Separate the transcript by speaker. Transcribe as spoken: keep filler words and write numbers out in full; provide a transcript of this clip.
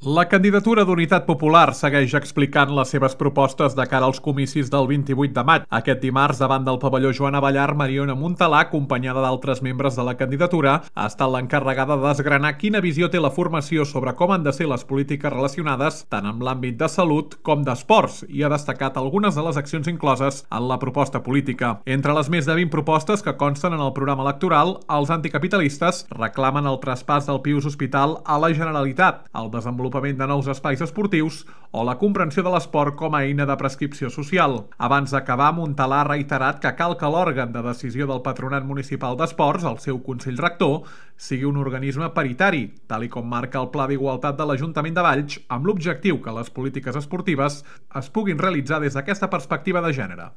Speaker 1: La candidatura d'Unitat Popular segueix explicant les seves propostes de cara als comicis del vint-i-vuit de maig. Aquest dimarts, davant del pavelló Joan Abellar, Mariona Montalà, acompanyada d'altres membres de la candidatura, ha estat l'encarregada de desgranar quina visió té la formació sobre com han de ser les polítiques relacionades tant amb l'àmbit de salut com d'esports, i ha destacat algunes de les accions incloses en la proposta política. Entre les més de vint propostes que consten en el programa electoral, els anticapitalistes reclamen el traspàs del Pius Hospital a la Generalitat, el desenvolupament de nous espais esportius o la comprensió de l'esport com a eina de prescripció social. Abans d'acabar, Montalà ha reiterat que cal que l'òrgan de decisió del Patronat Municipal d'Esports, el seu Consell Rector, sigui un organisme paritari, tal i com marca el Pla d'Igualtat de l'Ajuntament de Valls, amb l'objectiu que les polítiques esportives es puguin realitzar des d'aquesta perspectiva de gènere.